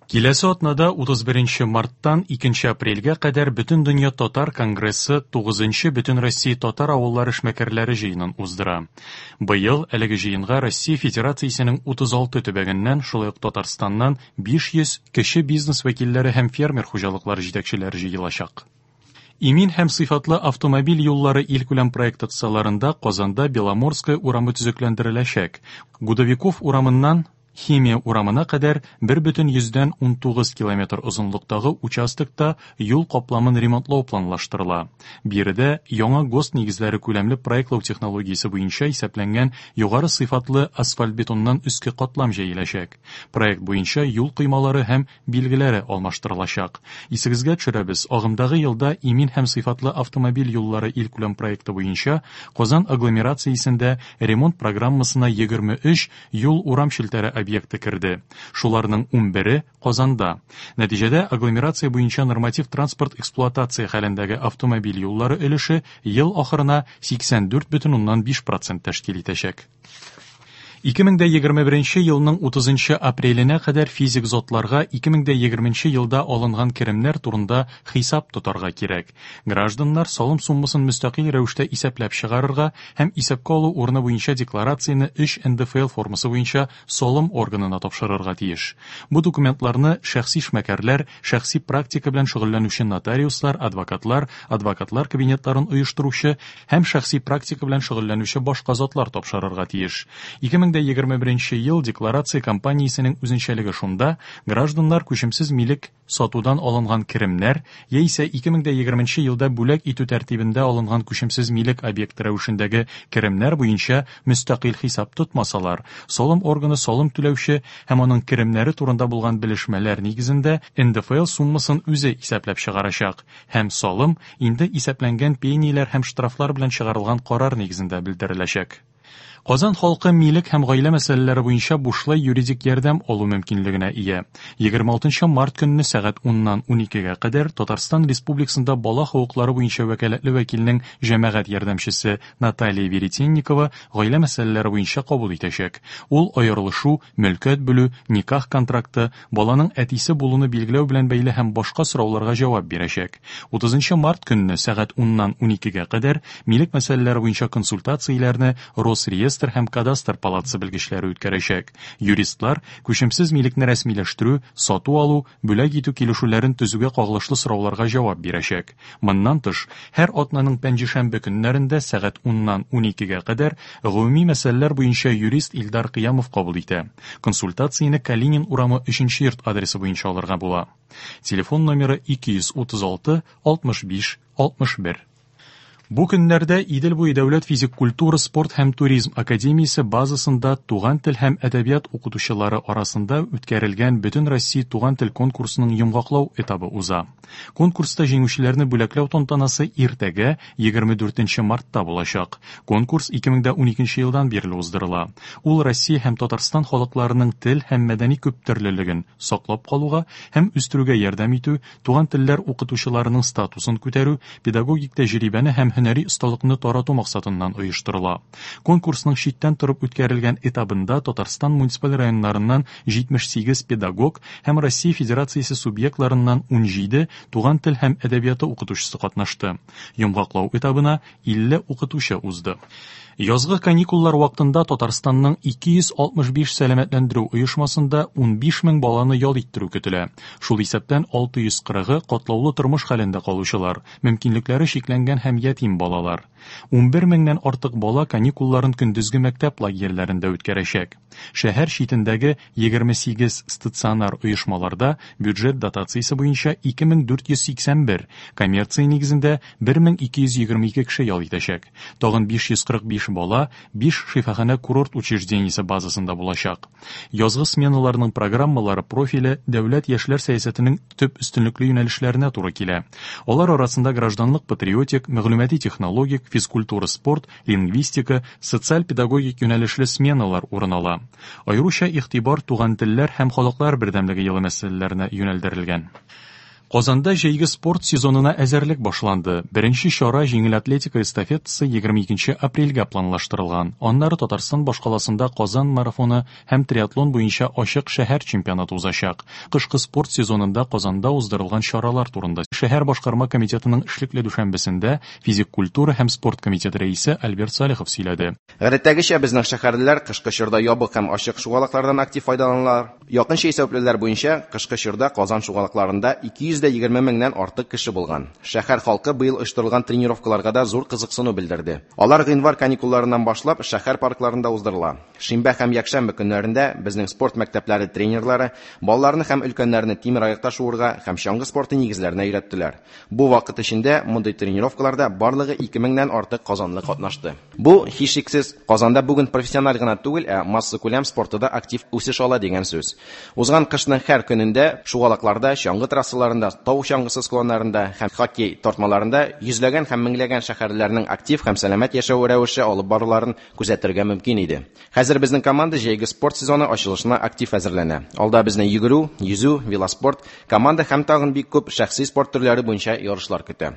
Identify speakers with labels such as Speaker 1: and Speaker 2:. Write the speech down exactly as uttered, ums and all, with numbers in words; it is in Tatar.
Speaker 1: Киләсе атнада утыз беренче марттан икенче апрельгә кадәр Бөтендөнья татар конгрессы тугызынчы Бөтенроссия татар авыллары эшмәкәрләре җыенын уздыра. Быел әлеге җыенга Россия Федерациясенең утыз алты төбәгеннән, шулай ук Татарстаннан биш йөз кече бизнес вәкилләре һәм фермер хуҗалыклары җитәкчеләре җыелачак. Имин һәм сыйфатлы автомобиль юллары илкүләм проекты кысаларында Казанда Беломорская урамы төзекләндереләчәк. Гудовиков урамыннан Химия урамына кадәр бер бөтен йөздән ун тугыз километр озынлыктагы участокта юл капламын ремонтлау планлаштырыла. Биредә яңа ГОСТ нигезләре күләмле проектлау технологиясе буенча исәпләнгән югары сыйфатлы асфальт-бетоннан өске катлам җәеләчәк. Проект буенча юл коймалары һәм билгеләре алмаштырылачак. Исегезгә төшерәбез, агымдагы елда имин һәм сыйфатлы автомобиль юллары илкүләм проекты буенча Казан агломерациясендә ремонт программасына егерме өч юл урам челтәре объекты керде. Шуларның ун бере Казанда. Нәтиҗәдә агломерация буенча норматив транспорт эксплуатация хәлендәге автомобиль юллары өлеше ел ахырына сиксән дүрт бөтен уннан биш процент тәшкил итәчәк. Ике мең дә егерме беренче елның утызынчы апреленә кадәр физик затларга ике мең дә егерменче елда алынган керемнәр турында хисап тотарга кирәк. Гражданнар салым суммасын мөстәкыйль рәвештә исәпләп чыгарырга һәм исәпкә алу урыны буенча декларацияне өч эн дэ эф эл формасы буенча салым органына тапшырырга тиеш. Бу документларны шәхси эшмәкәрләр, шәхси практика белән шөгыльләнүче нотариуслар, адвокатлар, адвокатлар кабинетларын оештыручы һәм шәхси практика белән шөгыльләнүче башка затлар тапшырырга тиеш. Ике мең дә егерме беренче ел декларация кампаниясенең үзенчәлеге шунда, гражданнар күчемсез милек сатудан алынган керемнәр яисә ике мең дә егерменче елда бүләк итү тәртибендә алынган күчемсез милек объекты рәвешендәге керемнәр буенча мөстәкыйль хисап тотмасалар, салым органы салым түләүче һәм аның керемнәре турында булган белешмәләр нигезендә эн дэ эф эл суммасын үзе исәпләп чыгарачак һәм салым инде исәпләнгән пенияләр һәм штрафлар белән чыгарылган карар нигезендә белдереләчәк. Казан халкы милек һәм гаилә мәсьәләләре буенча бушлай юридик ярдәм алу мөмкинлегенә ия. Егерме алтынчы март көнне сәгать уннан уникегә кадәр Татарстан Республикасында бала хокуклары буенча вәкаләтле вәкилнең җәмәгать ярдәмчесе Наталья Веретенникова гаилә мәсьәләләре буенча кабул итәчәк. Ул аерылышу, мөлкәт бүлү, никах контракты, баланың әтисе булуны билгеләү белән бәйле һәм башка сорауларга җавап бирәчәк. Утызынчы март көнне сәгать уннан уникегә кадәр милек мәсьәләләре буенча консультацияләрне Росреестр һәм кадастр палатасы белгечләре үткәрәчәк. Юристлар күчемсез милекне рәсмиләштерү, сату алу, бүләк итү килешүләрен төзүгә кагылышлы сорауларга җавап бирәчәк. Моннан тыш, һәр атнаның пәнҗешәмбе көннәрендә сәгать уннан уникегә кадәр гомуми мәсьәләләр буенча юрист Илдар Кыямов кабул итә. Консультацияне Калинин урамы өченче йорт адресы буенча алырга була. Телефон номеры ике йөз утыз алты, алтмыш биш, алтмыш бер. Бу көннәрдә Идел буе дәүләт физик культура, спорт һәм туризм академиясе базасында туган тел һәм әдәбият укытучылары арасында үткәрелгән Бөтен Россия туган тел конкурсының йомгаклау этабы уза. Конкурста җиңүчеләрне бүләкләү тантанасы иртәгә егерме дүртенче мартта булачак. Конкурс ике мең дә уникенче елдан бирле уздырыла. Ул Россия һәм Татарстан халыкларының тел һәм мәдәни күптөрлелеген саклап калуга һәм үстерүгә ярдәм итү, туган телләр укытучыларының статусын күтәрү, педагогик тәҗрибәне һәм һөнәри осталыкны тарату максатыннан оештырыла. Конкурсның читтән торып үткәрелгән этабында Татарстан муниципаль районнарыннан җитмеш сигез педагог һәм Россия Федерациясе субъектларыннан ун җиде туган тел һәм әдәбияты укытучысы катнашты. Йомгаклау этабына илле укытучы узды. Язгы каникуллар вакытында Татарстанның ике йөз алтмыш биш сәламәтләндерү оешмасында ун биш мең баланы ял иттерү көтелә. Шул исәптән алты йөз кырыгы катлаулы тормыш хәлендә калучылар, мөмкинлекләре чикләнгән һәм ятим балалар. Ун бер меңнән артык бала каникулларын көндезге мәктәп лагерьләрендә үткәрәчәк. Шәһәр читендәге егерме сигез стационар оешмаларда бюджет дотациясе буенча ике мең дүрт йөз сиксән бер, коммерция нигезендә бер мең ике йөз егерме ике кеше ял итәчәк. Тагын биш йөз кырык биш бала биш шифаханә курорт учреждениесе базасында булачак. Язгы сменаларның программалары профиле дәүләт яшьләр сәясәтенең төп өстенлекле юнәлешләренә туры килә. Алар арасында гражданлык патриотик, мәгълүмати технологик, физкультура, спорт, лингвистика, социаль-педагогик юнәлешле сменалар урын ала. Аеруча игътибар туган телләр һәм халыклар бердәмлеге елы мәсьәләләренә юнәлдерелгән. Казанда җәйге спорт сезонына әзерлек башланды. Беренче чара җиңел атлетика эстафетасы егерме икенче апрельгә планлаштырылган. Аннары Татарстан башкаласында Казан марафоны һәм триатлон буенча ачык шәһәр чемпионаты узачак. Кышкы спорт сезонында Казанда уздырылган чаралар турында шәһәр башкарма комитетының эшлекле дүшәмбесендә физик культура һәм спорт комитеты рәисе Альберт Салихов сөйләде.
Speaker 2: Гадәттәгечә безнең шәһәрлеләр кышкы чорда ябык һәм ачык шугалаклардан актив файдаланалар. Якынча исәпләүләр буенча кышкы чорда Казан шугалакларында ике йөз дә егерме меңнән артык кеше булган. Шәһәр халкы быел оештырылган тренировкаларга да зур кызыксыну белдерде. Алар гыйнвар каникулларыннан башлап шәһәр паркларында уздырыла. Шимбә һәм якшәмбе көннәрендә безнең спорт мәктәпләре тренерлары балаларны һәм өлкәннәрне тимер аякта шуырга һәм чаңгы спорты нигезләренә өйрәттеләр. Бу вакыт эчендә мондый тренировкаларда барлыгы ике меңнән артык казанлы катнашты. Бу һичшиксез Казанда бүген профессиональ гына түгел, ә массакүләм спорты да актив үсеш ала дигән сүз. Узган кышның һәр көнендә шугалакларда, чаңгы трассаларында, тау чаңгысы склоннарында һәм хоккей тартмаларында йөзләгән һәм меңләгән шәһәрлеләрнең актив һәм сәламәт яшәү рәвеше алып баруларын күзәтергә мөмкин иде. Хәзер безнең команда җәйге спорт сезоны ачылышына актив әзерләнә. Алда безне йөгерү, йөзү, велоспорт, команда һәм тагын бик күп шәхси спорт төрләре буенча ярышлар көтә.